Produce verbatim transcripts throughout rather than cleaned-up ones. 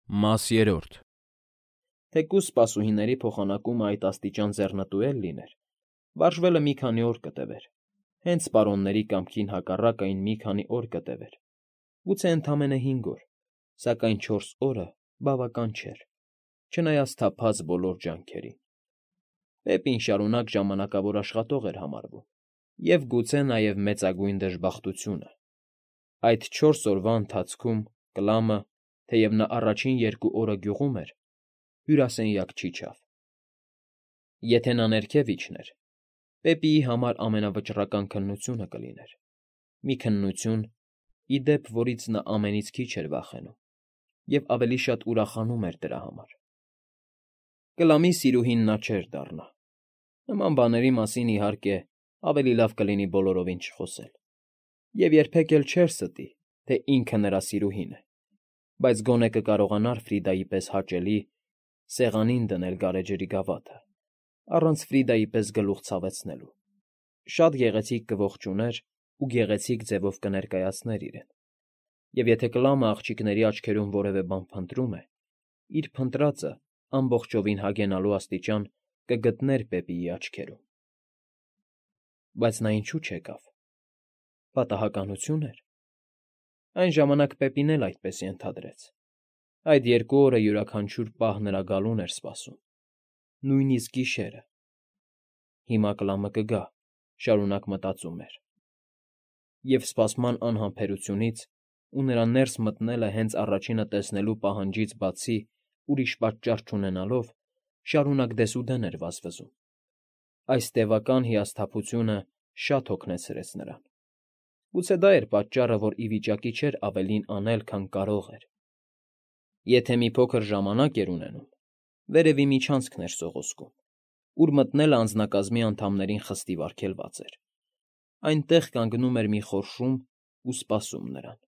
Մաս երրորդ Թեկուզ սպասուհիների փոխանակումը այդ աստիճան ձեռնտու էլ լիներ, վարժվելը մի քանի օր կտևեր, հենց պարոնների կամքին հակառակ այն մի քանի օր կտևեր, գուցե ընդամենը հինգ օր, սակայն չորս օրը բավական չէր, չնայած թափած բոլոր ջանքերին. Բեպին շարունակ ժամանակավոր աշխատող էր համարվում և գուցե նաև մեծագույն դժբախտությունը. այդ չորս օրվա ընթացքում Կլամը, թեև նա առաջին երկու օրը գյուղում էր, հյուրասենյակ չիջավ. եթե նա ներքև իջներ, Պեպիի համար ամենավճռական քննությունը կլիներ, մի քննություն, ի դեպ, որից նա ամենից քիչ էր վախենում և ավելի շատ ուրախանում էր դրա համար. Կլամի սիրուհին նա չէր դառնա. նման բաների մասին, իհարկե, ավելի լավ կլինի բոլորովին չխոսել, և երբեք էլ չէր ստի, թե ինքը նրա սիրուհին է, բայց գոնե կկարողանար Ֆրիդայի պես հաճելի, սեղանին դնել գարեջրի գավաթը, առանց Ֆրիդայի պես գլուխ ցավեցնելու, շատ գեղեցիկ կողջուներ ու գեղեցիկ ձևով կներկայացներ իրեն, և եթե Կլամը աղջիկների աչքերում որևէ բան փնտրում է, իր փնտրածը ամբողջովին հագենալու աստիճան կգտներ Պեպիի աչքերում։ Բայց նա ինչո՞ւ չեկավ. պատահականությո՞ւն էր. այն ժամանակ Պեպին էլ այդպես ենթադրեց. այդ երկու օրը յուրաքանչյուր պահ նրա գալուն էր սպասում, նույնիսկ գիշերը։ Հիմա Կլամը կգա, շարունակ մտածում էր, և սպասման անհամբերությունից ու նրա ներս մտնելը հենց առաջինը տեսնելու պահանջից բացի ուրիշ պատճառ չունենալով, շարունակ դեսուդեն էր վազվզում. այս տևական հիասթափությունը շատ հոգնեցրեց նրան. գուցե դա էր պատճառը, որ ի վիճակի չէր ավելին անել, քան կարող էր. եթե մի փոքր ժամանակ էր ունենում, վերևի միջանցքն էր սողոսկում, ուր մտնելը անձնակազմի անդամներին խստիվ արգելված էր. այնտեղ կանգնում էր մի խորշում ու սպասում նրան.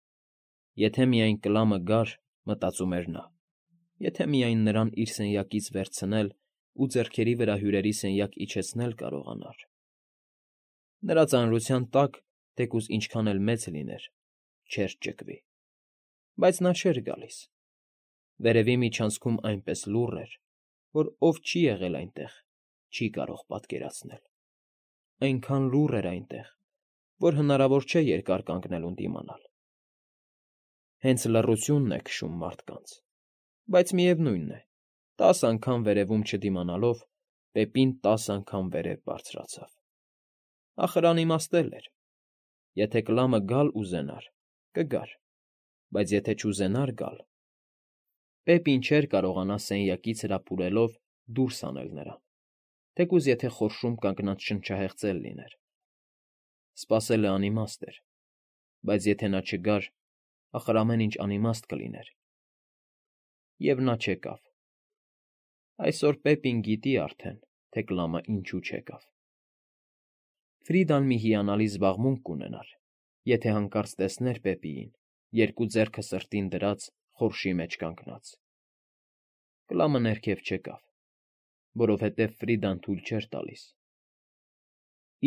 եթե միայն Կլամը գար, մտածում էր նա, եթե միայն նրան իր սենյակից վերցնել ու ձեռքերի վրա հյուրերի սենյակ իջեցնել կարողանար… Նրա ծանրության տակ, թեկուզ ինչքան էլ մեծ լիներ, չէր ճկվի, բայց նա չէր գալիս. վերևի միջանցքում այնպես լուռ էր, որ ով չի եղել այնտեղ, չի կարող պատկերացնել. այնքան լուռ էր այնտեղ, որ հնարավոր չէ երկար կանգնել ու դիմանալ. հենց լռությունն է քշում մարդկանց, բայց միևնույն է, տասը անգամ վերևում չդիմանալով, Պեպին տասը անգամ վերև բարձրացավ. ախր անիմաստ էլ էր. եթե Կլամը գալ ուզենար, կգար, բայց եթե չուզենար գալ… Պեպին չէր կարողանա սենյակից հրապուրելով դուրս հանել նրան, թեկուզ եթե խորշում կանգնած շնչահեղձ էլ լիներ. սպասելը անիմաստ էր, բայց եթե նա չգար, ախր ամեն ինչ անիմաստ կլիներ… Եվ նա չեկավ… Այսօր Պեպին գիտի արդեն, թե Կլամը ինչու չեկավ… Ֆրիդան մի հիանալի զբաղմունք կունենար, եթե հանկարծ տեսներ Պեպիին, երկու ձեռքը սրտին դրած, խորշի մեջ կանգնած… Կլամը ներքև չեկավ, որովհետև Ֆրիդան թույլ չէր տալիս…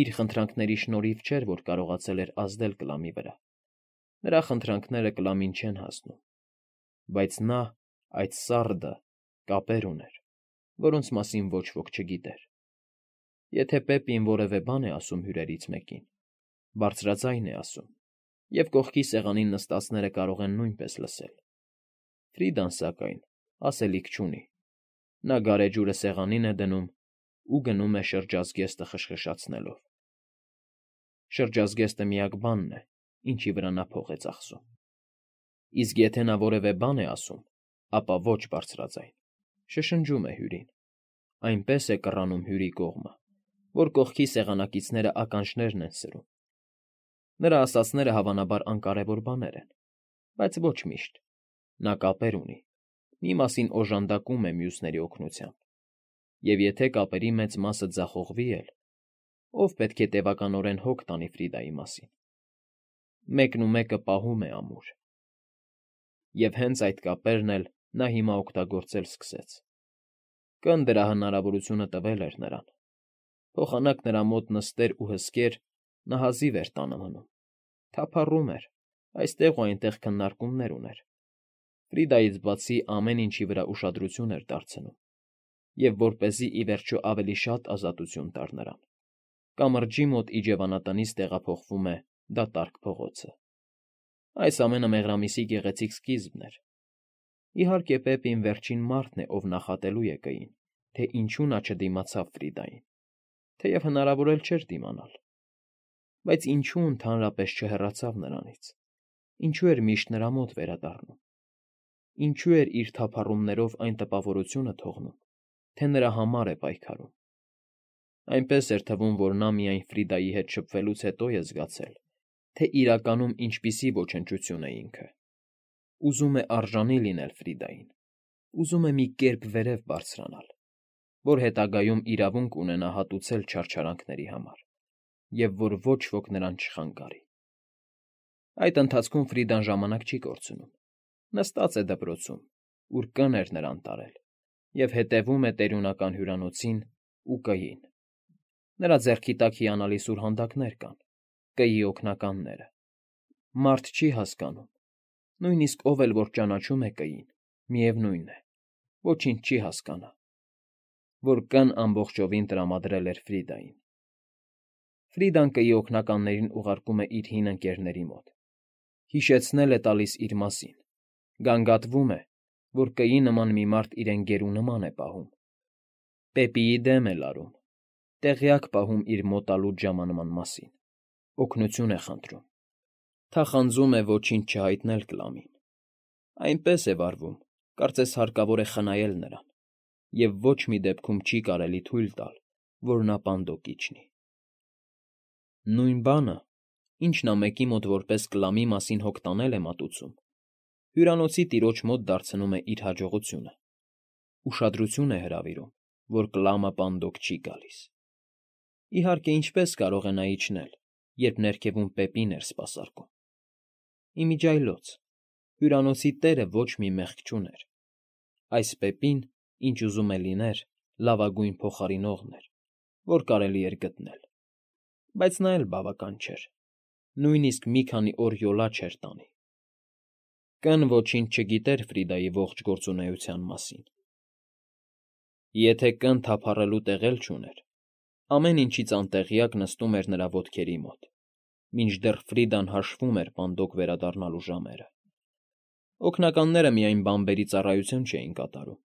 Իր խնդրանքների շնորհիվ չէր, որ կարողացել էր ազդել Կլամի վրա, նրա խնդրանքները Կլամին չեն հասնում, բայց նա, այդ սառը, կապեր ուներ, որոնց մասին ոչ ոք չգիտեր… Եթե Պեպին որևէ բան է ասում հյուրերից մեկին, բարձրաձայն է ասում, և կողքի սեղանին նստածները կարող են նույնպես լսել… Ֆրիդան, սակայն, ասելիք չունի. նա գարեջուրը սեղանին է դնում ու գնում է շրջազգեստը խշխշացնելով… Շրջազգեստը միակ բանն է, ինչի վրա նա փող է ծախսում… Իսկ եթե նա որևէ բան է ասում, ապա ոչ բարձրաձայն, շշնջում է հյուրին… Այնպես է կռանում հյուրի կողմը, որ կողքի սեղանակիցները ականջներն են սրում… Նրա ասածները հավանաբար անկարևոր բաներ են, բայց ոչ միշտ… Նա կապեր ունի, մի մասին օժանդակում է մյուսների օգնությամբ, և եթե կապերի մեծ մասը ձախողվի էլ, ով պետք է տևականորեն հոգ տանի Ֆրիդայի մասին… Մեկն ու մեկը պահում է ամուր… Եվ հենց այդ կապերն էլ նա հիմա օգտագործել սկսեց… Կն դրա հնարավորությունը տվել էր նրան… Փոխանակ նրա մոտ նստեր ու հսկեր, նա հազիվ էր տանը մնում… Թափառում էր, այստեղ ու այնտեղ քննարկումներ ուներ… Ֆրիդայից բացի ամեն ինչի վրա ուշադրություն էր դարձնում, և որպեսզի ի վերջո ավելի շատ ազատություն տար նրան, կամրջի մոտ իջևանատնից տեղափոխվում է դատարկ փողոցը։ Այս ամենը մեղրամիսի գեղեցիկ սկիզբն էր։ Իհարկե, Պեպին վերջին մարդն է, ով նախատելու է կային, թե ինչու նա չդիմացավ Ֆրիդային, թեև հնարավոր էլ չէր դիմանալ։ Բայց ինչու ընդհանրապես չհեռացավ նրանից, ինչու էր միշտ նրա մոտ վերադառնում, ինչու էր իր թափառումներով այն տպավորությունը թողնում, թե նրա համար է պայքարում։ Այնպես էր թվում, որ նա միայն Ֆրիդայի հետ շփվելուց հետո է զգացել, թե իրականում ինչպիսի ոչնչություն է ինքը։ Ուզում է արժանի լինել Ֆրիդային, ուզում է մի կերպ վերև բարձրանալ, որ հետագայում իրավունք ունենա հատուցել չարչարանքների համար, և որ ոչ ոք նրան չխանգարի։ Այդ ընթացքում Ֆրիդան ժամանակ չի կորցնում, նստած է դպրոցում, ուր կն էր նրան տարել, և հետևում է տերյունական հյուրանոցին ու կային։ Նրա ձեռքի տակ հիանալի սուրհանդակներ կան, կîի օգնականները։ Մարդ չի հասկանում, նույնիսկ ով էլ որ ճանաչում է կîին, միևնույն է, ոչինչ չի հասկանա, որ կն ամբողջովին տրամադրել էր Ֆրիդային։ Ֆրիդան կîի օգնականներին ուղարկում է իր հին ընկերների մոտ, հիշեցնել է տալիս իր մասին, գանգատվում է, որ կîի նման մի մարդ իրեն գերու նման է պահում, Պեպիի դեմ է լարում, տեղյակ պահում իր մոտալուտ ժամանման մասին, օգնություն է խնդրում, թախանձում է ոչինչ չհայտնել Կլամին։ Այնպես է վարվում, կարծես հարկավոր է խնայել նրան, և ոչ մի դեպքում չի կարելի թույլ տալ, որ նա պանդոկ իջնի։ Նույն բանը, ինչ նա մեկի մոտ որպես Կլամի մասին հոգ տանել է մատուցում, հյուրանոցի տիրոջ մոտ դարձնում է իր հաջողությունը, ուշադրություն է հրավիրում, որ Կլամը պանդոկ չի գալիս։ Իհարկե, ինչպես կարող է նա իջնել, երբ ներքևում Պեպին էր սպասարկում։ Իմիջիայլոց, հյուրանոցի տերը ոչ մի մեղք չուներ։ Այս Պեպին, ինչ ուզում է լիներ, լավագույն փոխարինողն էր, որ կարելի էր գտնել։ Բայց նա էլ բավական չէր, նույնիսկ մի քանի օր յոլա չէր տանի։ Կն ոչինչ չգիտեր Ֆրիդայի ողջ գործունեության մասին։ Եթե կն թափառելու տեղ էլ չուներ, ամեն ինչից անտեղյակ նստում էր նրա ոտքերի մոտ, մինչդեռ Ֆրիդան հաշվում էր պանդոկ վերադառնալու ժամերը։ Օգնականները միայն բանբերի ծառայություն չէին կատարում,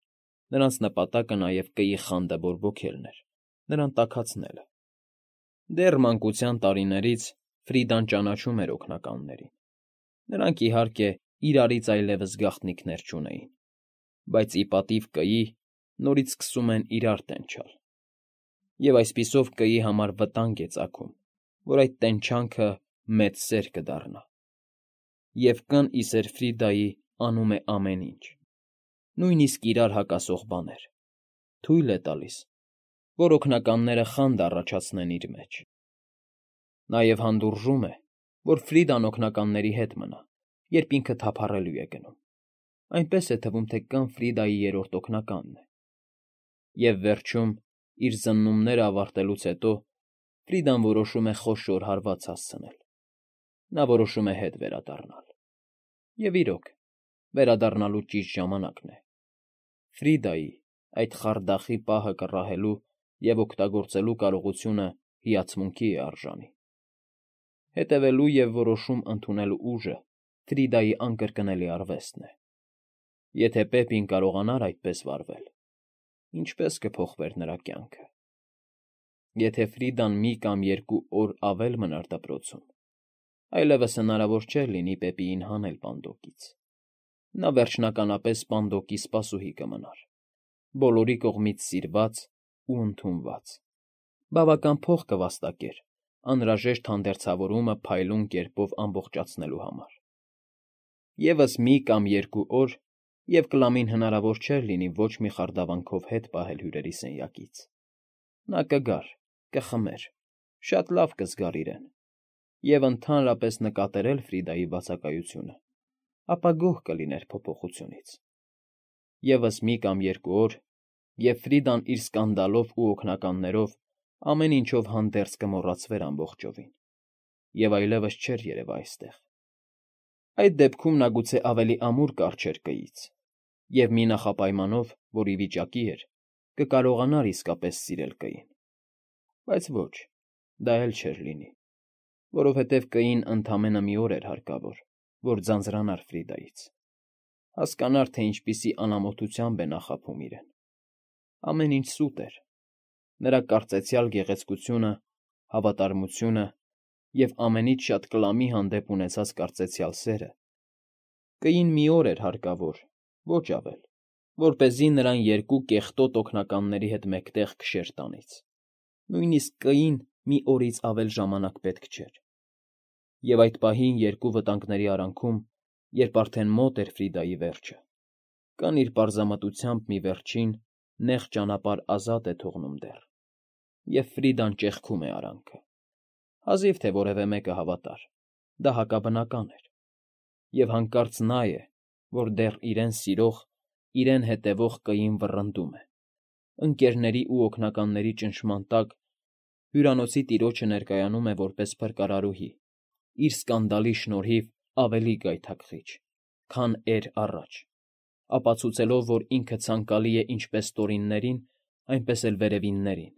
նրանց նպատակը նաև կîի խանդը բորբոքելն էր, նրան տաքացնելը։ Դեռ մանկության տարիներից Ֆրիդան ճանաչում էր օգնականներին։ Նրանք, իհարկե, իրարից այլևս գաղտնիքներ չունեին, բայց ի պատիվ կîի նորից սկսում են իրար տենչալ։ Եվ այսպիսով կîի համար վտանգ է ծագում, որ այդ տենչանքը մեծ սեր կդառնա։ Եվ կն ի սեր Ֆրիդայի անում է ամեն ինչ, նույնիսկ իրար հակասող բաներ, թույլ է տալիս, որ օգնականները խանդ առաջացնեն իր մեջ։ Նաև հանդուրժում է, որ Ֆրիդան օգնականների հետ մնա, երբ ինքը թափառելու է գնում։ Այնպես է թվում, թե կն Ֆրիդայի երրորդ օգնականն է։ Եվ վերջում, իր զննումները ավարտելուց հետո, Ֆրիդան որոշում է խոշոր հարված հասցնել։ Նա որոշում է հետ վերադառնալ։ Եվ իրոք, վերադառնալու ճիշտ ժամանակն է։ Ֆրիդայի, այդ խարդախի պահը կռահելու և օգտագործելու կարողությունը հիացմունքի է արժանի։ Հետևելու և որոշում ընդունելու ուժը Ֆրիդայի անկրկնելի արվեստն է։ Եթե Պեպին կարողանար այդպես վարվել, ինչպե՞ս կփոխվեր նրա կյանքը։ Եթե Ֆրիդան մի կամ երկու օր ավել մնար դպրոցում, այլևս հնարավոր չէր լինի Պեպիին հանել պանդոկից։ Նա վերջնականապես պանդոկի սպասուհի կմնար, բոլորի կողմից սիրված ու ընդունված։ Բավական փող կվաստակեր անհրաժեշտ հանդերձավորումը փայլուն կերպով ամբողջացնելու համար։ Եվս մի կամ երկու օր, և Կլամին հնարավոր չէր լինի ոչ մի խարդավանքով հետ պահել հյուրերի սենյակից։ Նա կգար, կխմեր, շատ լավ կզգար իրեն, և ընդհանրապես նկատեր էլ Ֆրիդայի բացակայությունը, ապա գոհ կլիներ փոփոխությունից։ Եվս մի կամ երկու օր, և Ֆրիդան իր սկանդալով ու օգնականներով ամեն ինչով հանդերձ կմոռացվեր ամբողջովին, և այլևս չէր երևա այստեղ։ Այդ դեպքում նա գուցե ավելի ամուր կառչեր կից, և մի նախապայմանով, որ ի վիճակի էր, կկարողանար իսկապես սիրել կին. բայց ոչ, դա էլ չէր լինի, որովհետև կին ընդամենը մի օր էր հարկավոր, որ ձանձրանար Ֆրիդայից, հասկանար, թե ինչպիսի անամոթությամբ է նա խաբում իրեն. ամեն ինչ սուտ էր, նրա կարծեցյալ գեղեցկությունը, հավատարմությունը և ամենից շատ կլամի հանդեպ ունեցած կարծեցյալ սերը. կին մի օր էր հարկավոր, ոչ ավել, որպեսզի նրան երկու կեղտոտ օգնականների հետ մեկտեղ քշեր տանից, նույնիսկ կին մի օրից ավել ժամանակ պետք չէր, և այդ պահին երկու վտանգների արանքում, երբ արդեն մոտ էր Ֆրիդայի վերջը, կան իր պարզամտությամբ մի վերջին, նեղ ճանապարհ ազատ է թողնում դեռ, և Ֆրիդան ճեղքում է արանքը, հազիվ թե որևէ մեկը հավատար, դա հակաբնական էր, և հանկարծ նա է, որ դեռ իրեն սիրող, իրեն հետևող կին վռնդում է, ընկերների ու օգնականների ճնշման տակ հյուրանոցի տիրոջը ներկայանում է որպես փրկարարուհի, իր սկանդալի շնորհիվ ավելի գայթակղիչ, քան էր առաջ, ապացուցելով, որ ինքը ցանկալի է ինչպես տորիններին, այնպես էլ վերևիններին,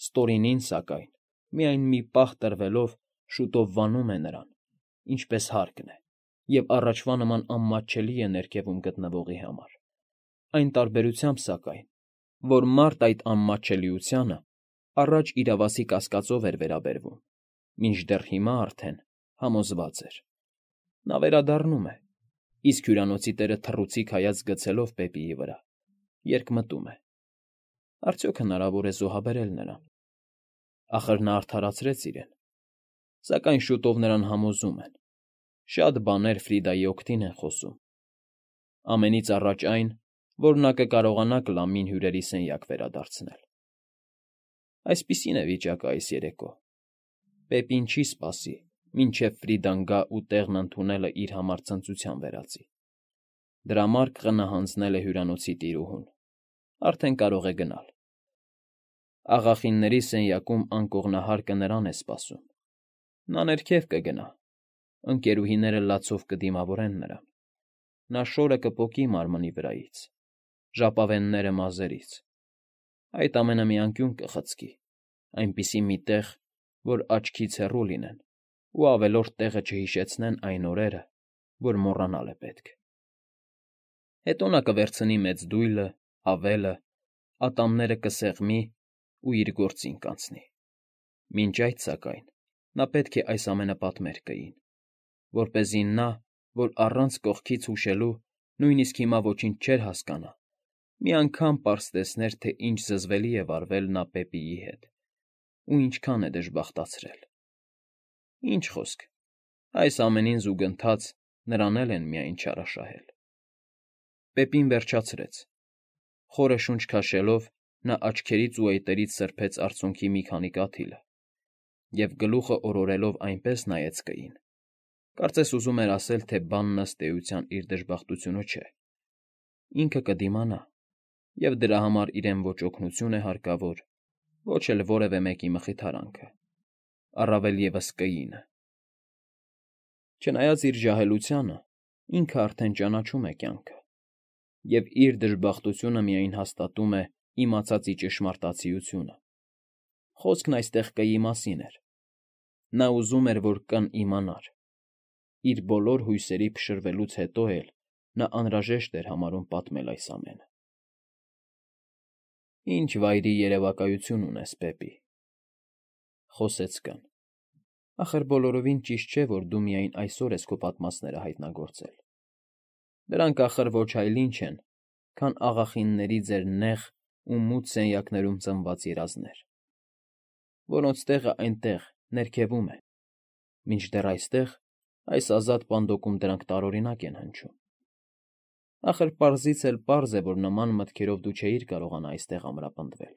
ստորինին, սակայն, միայն մի պահ տրվելով, շուտով վանում է նրան, ինչպես հարկն է, և առաջվա նման անմատչելի է ներքևում գտնվողի համար, այն տարբերությամբ, սակայն, որ մարդ այդ անմատչելիությանը առաջ իրավասի կասկածով էր վերաբերվում, մինչդեռ հիմա արդեն համոզված էր. նա վերադառնում է, իսկ հյուրանոցի տերը թռուցիկ հայացք գցելով Պեպիի վրա, երկմտում է. արդյոք հնարավոր է զոհաբերել նրան, ախր նա արդարացրեց իրեն, սակայն շուտով նրան համոզում են, շատ բաներ Ֆրիդայի օգտին են խոսում, ամենից առաջ այն, որ նա կկարողանա կլամին հյուրերի սենյակ վերադարձնել. այսպիսին է վիճակը այս երեկո, Պեպին չի սպասի, մինչև Ֆրիդան գա ու տեղն ընդունելը իր համար ցնծության վերածի, դրամարկղը նա հանձնել է հյուրանոցի տիրուհուն, արդեն կարող է գնալ, աղախինների սենյակում անկողնահարկը նրան է սպասում, նա ներքև կգնա, ընկերուհիները լացով կդիմավորեն նրան, նա շորը կպոկի մարմնի վրայից, ժապավենները մազերից, այդ ամենը մի անկյուն կխցկի, այնպիսի մի տեղ, որ աչքից հեռու լինեն ու ավելորդ տեղը չհիշեցնեն այն օրերը, որ մոռանալ է պետք. հետո նա կվերցնի մեծ դույլը, ավելը, ատամները կսեղմի ու իր գործին կանցնի, մինչ այդ, սակայն, նա պետք է այս ամենը պատմեր կին, որպեսզի նա, որ առանց կողքից հուշելու նույնիսկ հիմա ոչինչ չէր հասկանա, մի անգամ պարզ տեսներ, թե ինչ զզվելի է վարվել նա Պեպիի հետ ու ինչքան է դժբախտացրել, ինչ խոսք, այս ամենին զուգընթաց նրան էլ են միայն չարաշահել. Պեպին վերջացրեց, խորը շունչ քաշելով, նա աչքերից ու այտերից սրբեց արցունքի մի քանի կաթիլը և գլուխը օրորելով այնպես նայեց կին, կարծես ուզում էր ասել, թե բանն ըստ էության իր դժբախտությունը չէ, ինքը կդիմանա, և դրա համար իրեն ոչ օգնություն է հարկավոր, ոչ էլ որևէ մեկի մխիթարանքը, առավել ևս կինը, չնայած իր ջահելությանը, ինքը արդեն ճանաչում է կյանքը, և իր դժբախտությունը միայն հաստատում է իմացածի ճշմարտացիությունը, խոսքն այստեղ կիի մասին էր, նա ուզում էր, որ կն իմանար, իր բոլոր հույսերի փշրվելուց հետո էլ նա անհրաժեշտ էր համարում պատմել այս ամենը. Ինչ վայրի երևակայություն ունես, Պեպի, խոսեց կն, ախր բոլորովին ճիշտ չէ, որ դու միայն այսօր ես քո պատմածները հայտնագործել, դրանք ախր ոչ այլ ինչ են, քան աղախինների ձեր նեղ ու մութ սենյակներում ծնված երազներ, որոնց տեղը այնտեղ, ներքևում է, մինչդեռ այստեղ, այս ազատ պանդոկում դրանք տարօրինակ են հնչում, ախր պարզից էլ պարզ է, որ նման մտքերով դու չէիր կարողանա այստեղ ամրապնդվել,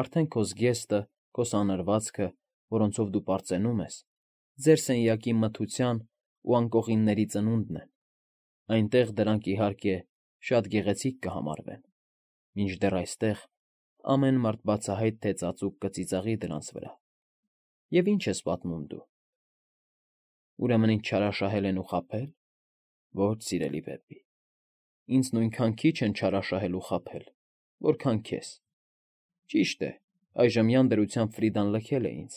արդեն քո զգեստը, քո սանրվածքը, որոնցով դու պարծենում ես, ձեր սենյակի մթության ու անկողինների ծնունդն են, այնտեղ դրանք, իհարկե, շատ գեղեցիկ կհամարվեն, մինչդեռ այստեղ ամեն մարդ բացահայտ թե ծածուկ կծիծաղի դրանց վրա, և ի՞նչ ես պատմում դու, ուրեմն ինձ չարաշահել են ու խաբե՞լ, Ոչ, սիրելի Բեբբի, ինձ նույնքան քիչ են չարաշահել ու խաբել, որքան քեզ։ Ճիշտ է, այժմյան դրությամբ Ֆրիդան լքել է ինձ,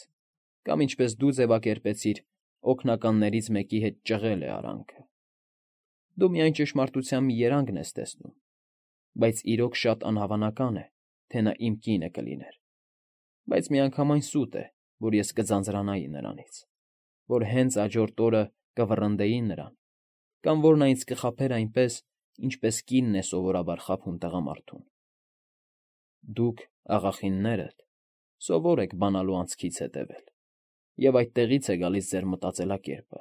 կամ ինչպես դու ձևակերպեցիր, օգնականներից մեկի հետ ճղել է արանքը։ Դու միայն ճշմարտության մի երանգն ես տեսնում, բայց իրոք շատ անհավանական է, թե նա իմ կինը կլիներ, բայց միանգամայն սուտ է, որ ես կձանձրանայի նրանից, որ հենց հաջորդ օրը կվռնդեի նրան, կամ որ նա ինձ կխաբեր այնպես, ինչպես կինն է սովորաբար խաբում տղամարդուն։ Դուք, աղախիններդ, սովոր եք բանալու անցքից հետևել, և այդտեղից է գալիս ձեր մտածելակերպը,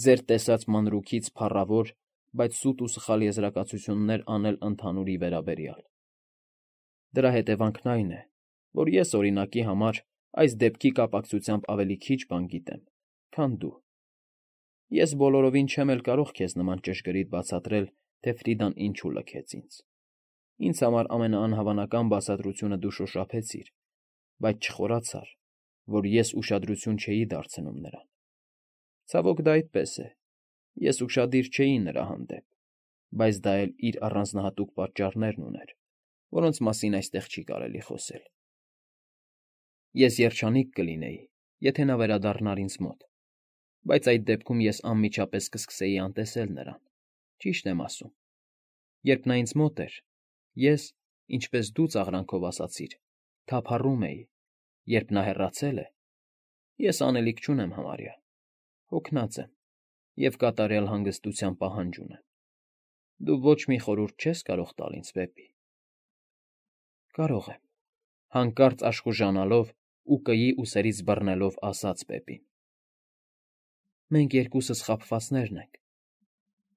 ձեր տեսած մանրուքից փառավոր, բայց սուտ ու սխալ եզրակացություններ անել ընդհանուրի վերաբերյալ։ Դրա հետևանքն այն է, որ ես, օրինակի համար, այս դեպքի կապակցությամբ ավելի քիչ բան գիտեմ, քան դու։ Ես բոլորովին չեմ էլ կարող քեզ նման ճշգրիտ բացատրել, թե Ֆրիդան ինչու լքեց ինձ։ Ինձ համար ամենաանհավանական բացատրությունը դու շոշափեցիր, բայց չխորացար, որ ես ուշադրություն չէի դարձնում նրան։ Ցավոք դա այդպես է, ես ուշադիր չէի նրա հանդեպ, բայց դա էլ իր առանձնահատուկ պատճառներն ուներ, որոնց մասին այստեղ չի կարելի խոսել։ Ես երջանիկ կլինեի, եթե նա վերադառնար ինձ մոտ, բայց այդ դեպքում ես անմիջապես կսկսեի անտեսել նրան, ճիշտ եմ ասում։ Երբ նա ինձ մոտ էր, ես, ինչպես դու ծաղրանքով ասացիր, թափառում էի, երբ նա հեռացել է, ես անելիք չունեմ համարյա, հոգնած եմ և կատարյալ հանգստության պահանջ ունեմ։ Դու ոչ մի խորհուրդ չես կարող տալ ինձ, Բեբբի։ Կարող եմ, հանկարծ աշխուժանալով ու կեի ուսերից բռնելով ասաց Բեբին։ Մենք երկուսս խաբվածներն ենք,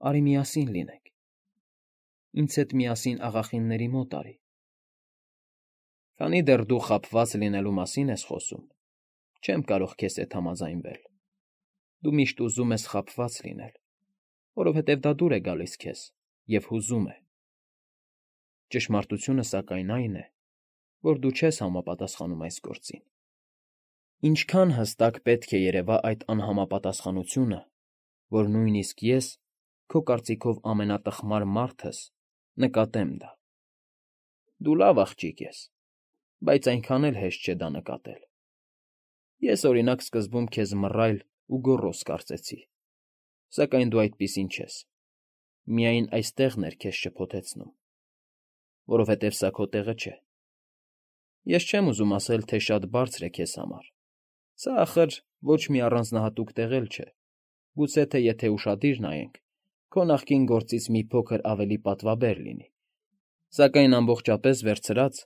արի միասին լինենք, ինձ հետ միասին աղախինների մոտ արի։ Քանի դեռ դու խաբված լինելու մասին ես խոսում, չեմ կարող քեզ հետ համաձայնվել։ Դու միշտ ուզում ես խաբված լինել, որովհետև դա դուր է գալիս քեզ և հուզում է։ Ճշմարտությունը, սակայն, այն է, որ դու չես համապատասխանում այս գործին։ Ինչքան հստակ պետք է երևա այդ անհամապատասխանությունը, որ նույնիսկ ես, քո կարծիքով ամենատխմար մարդս, նկատեմ դա։ Դու լավ աղջիկ ես, բայց այնքան էլ հեշտ չէ դա նկատել։ Ես, օրինակ, սկզբում քեզ մռայլ ու գոռոզ կարծեցի, սակայն դու այդպիսին չես, միայն այս տեղն էր քեզ շփոթեցնում, որովհետև սա քո տեղը չէ։ Ես չեմ ուզում ասել, թե շատ բարձր է քեզ համար, սա, ախր, ոչ մի առանձնահատուկ տեղ էլ չէ, գուցե թե եթե ուշադիր նայենք, քո նախկին գործից մի փոքր ավելի պատվաբեր լինի, սակայն ամբողջապես վերցրած,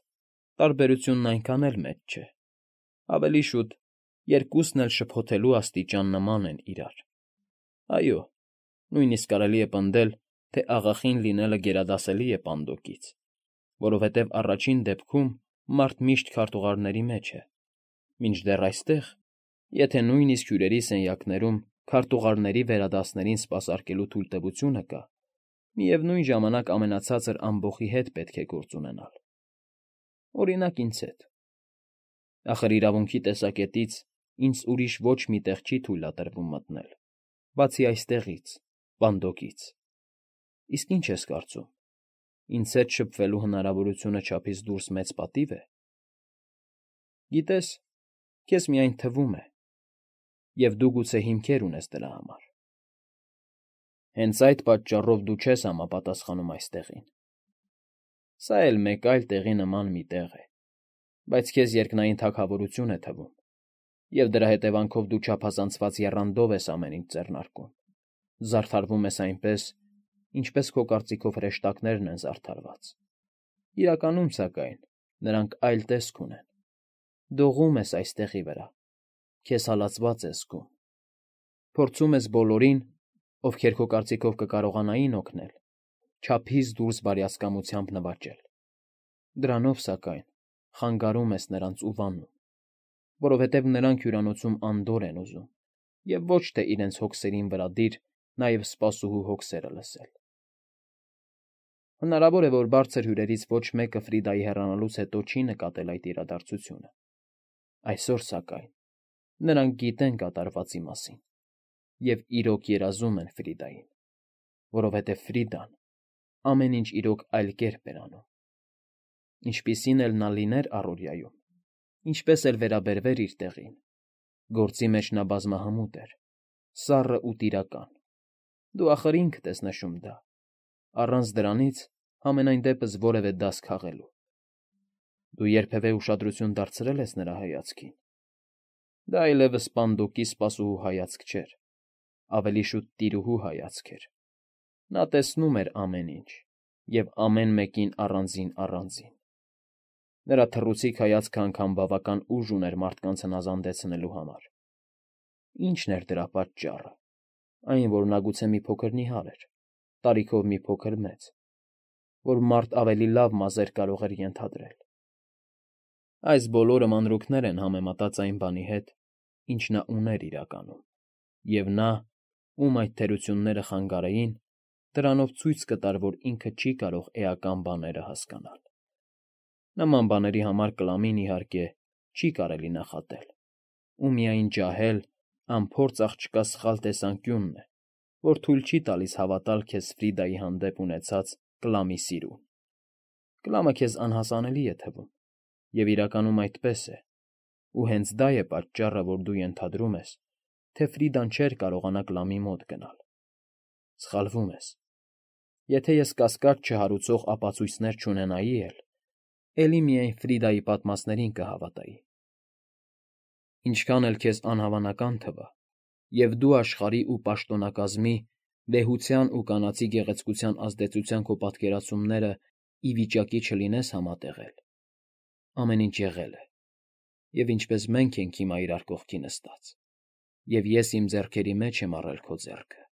տարբերությունն այնքան էլ մեծ չէ, ավելի շուտ երկուսն էլ շփոթելու աստիճան նման են իրար։ Այո, նույնիսկ կարելի է պնդել, թե աղախին լինելը գերադասելի է պանդոկից, որովհետև առաջին դեպքում մարդ միշտ քարտուղարների մեջ է, մինչդեռ այստեղ, եթե նույնիսկ հյուրերի սենյակներում քարտուղարների վերադասներին սպասարկելու թույլտվությունը կա, միևնույն ժամանակ ամենացածր ամբոխի հետ պետք է գործ ունենալ։ Օրինակ, ինձ հետ։ Ախր իրավունքի տեսակետից ինձ ուրիշ ոչ մի տեղ չի թույլատրվում մտնել, բացի այստեղից, պանդոկից։ Իսկ ի՞նչ ես կարծում, ինձ հետ շփվելու հնարավորությունը չափից դուրս մեծ պատիվ է։ Գիտես, քեզ միայն թվում է, և դու գուցե հիմքեր ունես դրա համար։ Հենց այդ պատճառով դու չես համապատասխանում այստեղին։ Սա էլ մեկ այլ տեղի նման մի տեղ է, բայց քեզ երկնային թագավորություն է թվում, և դրա հետևանքով դու չափազանցված եռանդով ես ամեն ինչ ձեռնարկում, զարդարվում ես այնպես, ինչպես քո կարծիքով հրեշտակներն են զարդարված։ Իրականում, սակայն, նրանք այլ տեսք ունեն։ Դողում ես այս տեղի վրա, քեզ հալածված ես զգում։ Փորձում ես բոլորին, ովքեր քո կարծիքով կկարողանային օգնել, չափից դուրս բարյացակամությամբ նվաճել։ Դրանով, սակայն, խանգարում ես նրանց ու վանում, որովհետև նրանք հյուրանոցում անդորր են ուզում և ոչ թե իրենց հոգսերին վրադիր նաև սպասուհու հոգսերը լսել։ Հնարավոր է, որ բարձր հյուրերից ոչ մեկը Ֆրիդայի հեռանալուց հետո չի նկատել այդ իրադարձությունը։ Այսօր, սակայն, նրանք գիտեն կատարվածի մասին և իրոք երազում են Ֆրիդային։ որովհետև Ֆրիդան ամեն ինչ իրոք այլ կերպ էր անում։ Ինչպիսին էլ նա լիներ առօրյայում, ինչպես էլ վերաբերվեր իր տեղին, գործի մեջ նա բազմահմուտ էր, սառն ու տիրական։ Դու ախր ինքդ ես նշում դա, առանց դրանից համենայն դեպս որևէ դաս քաղելու։ Դու երբևէ ուշադրություն դարձրե՞լ ես նրա հայացքին։ Դա այլևս Սպանդոկի սպասուհու հայացք չէր, ավելի շուտ տիրուհու հայացք էր։ Նա տեսնում էր ամեն ինչ և ամեն մեկին առանձին֊առանձին։ Նրա թռուցիկ հայացքը անգամ բավական ուժ ուներ մարդկանց հնազանդեցնելու համար։ Ի՞նչն էր դրա պատճառը։ Այն, որ նա գուցե մի փոքր նիհար էր, տարիքով մի փոքր մեծ, որ մարդ ավելի լավ մազեր կարող էր ենթադրել։ Այս բոլորը մանրուքներ են համեմատած այն բանի հետ, ինչ նա ուներ իրականում, և նա, ում այդ թերությունները խանգարեին, դրանով ցույց կտար, որ ինքը չի կարող էական բաները հասկանալ։ Նման բաների համար Կլամին, իհարկե, չի կարելի նախատել, ու միայն ջահել, անփորձ աղջկա սխալ տեսանկյունն է, որ թույլ չի տալիս հավատալ քեզ Ֆրիդայի հանդեպ ունեցած Կլամի սիրուն։ Կլամը քեզ անհասանելի է թվում, և իրականում այդպես է, ու հենց դա է պատճառը, որ դու ենթադրում ես, թե Ֆրիդան չէր կարողանա Կլամի մոտ գնալ։ Սխալվում ես։ Եթե ես կասկած չհարուցող ապացույցներ չունենայի էլ, էլի միայն Ֆրիդայի պատմածներին կհավատայի։ Ինչքան էլ քեզ անհավանական թվա, և դու աշխարհի ու պաշտոնակազմի, վեհության ու կանացի գեղեցկության ազդեցության քո պատկերացումները ի վիճակի չլինես համատեղել, ամեն ինչ եղել է, և ինչպես մենք ենք հիմա իրար կողքի նստած, և ես իմ ձեռքերի մեջ եմ առել քո ձեռքը։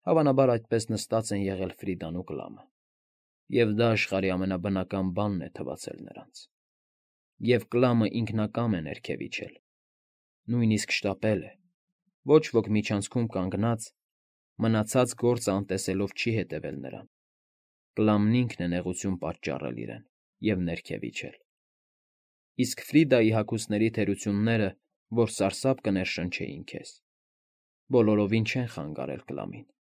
Հավանաբար այդպես նստած են եղել Ֆրիդան ու Կլամը, և դա աշխարհի ամենաբնական բանն է թվացել նրանց։ Եվ Կլամը ինքնակամ է ներքև իջել, նույնիսկ շտապել է, ոչ ոք միջանցքում կանգնած, մնացած գործը անտեսելով չի հետևել նրան։ Կլամն ինքն է նեղություն պատճառել իրեն և ներքև իջել։ Իսկ Ֆրիդայի հագուստների թերությունները, որ սարսափ կներշնչեին քեզ, բոլորովին չեն խանգարել Կլամին։